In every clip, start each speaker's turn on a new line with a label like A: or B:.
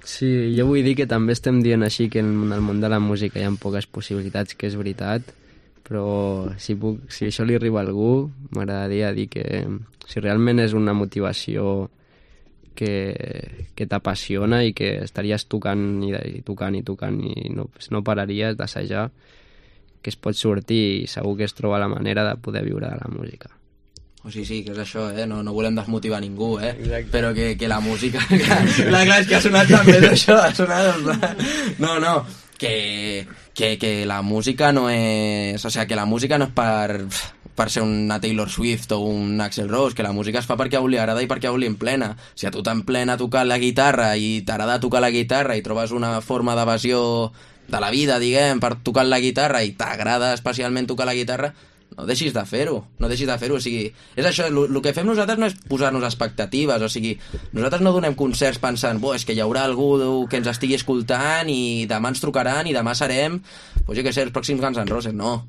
A: Sí, jo vull dir que també estem dient així que en el món de la música hi ha poques possibilitats, que és veritat, però si això li arriba a algú, m'agradaria dir que si realment és una motivació que t'apassiona i que estaries tocant i tocant i tocant i no pararies d'assajar, que es pot sortir i segur que es troba la manera de poder viure de la música.
B: O sigui, sí, que és això, no volem desmotivar ningú,
A: Exacte.
B: Però que la música... Clar, és que ha sonat també d'això, ha sonat... No, que la música no és... O sigui, que la música no és per ser una Taylor Swift o un Axl Rose, que la música es fa perquè a un li agrada i perquè a un li emplena. Si a tu t'emplena tocar la guitarra i t'agrada tocar la guitarra i trobes una forma d'evasió de la vida, diguem, per tocar la guitarra i t'agrada especialment tocar la guitarra, no deixis de fer-ho, o sigui, és això, el que fem nosaltres no és posar-nos expectatives, o sigui, nosaltres no donem concerts pensant, és que hi haurà algú que ens estigui escoltant i demà ens trucaran i demà serem, jo què sé, els pròxims Guns N' Roses, no.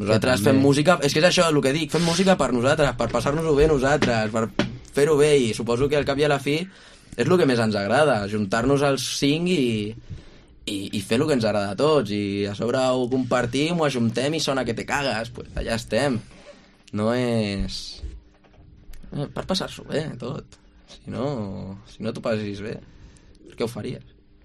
B: Nosaltres fem música, és que és això el que dic, fem música per nosaltres, per passar-nos-ho bé nosaltres, per fer-ho bé, i suposo que al cap i a la fi és el que més ens agrada, juntar-nos els 5 i fer el que ens agrada a tots, i a sobre ho compartim, ho ajuntem i sona que te cagues, pues allà estem. No és... per passar-s'ho bé, tot. Si no t'ho passis bé, per què ho faries?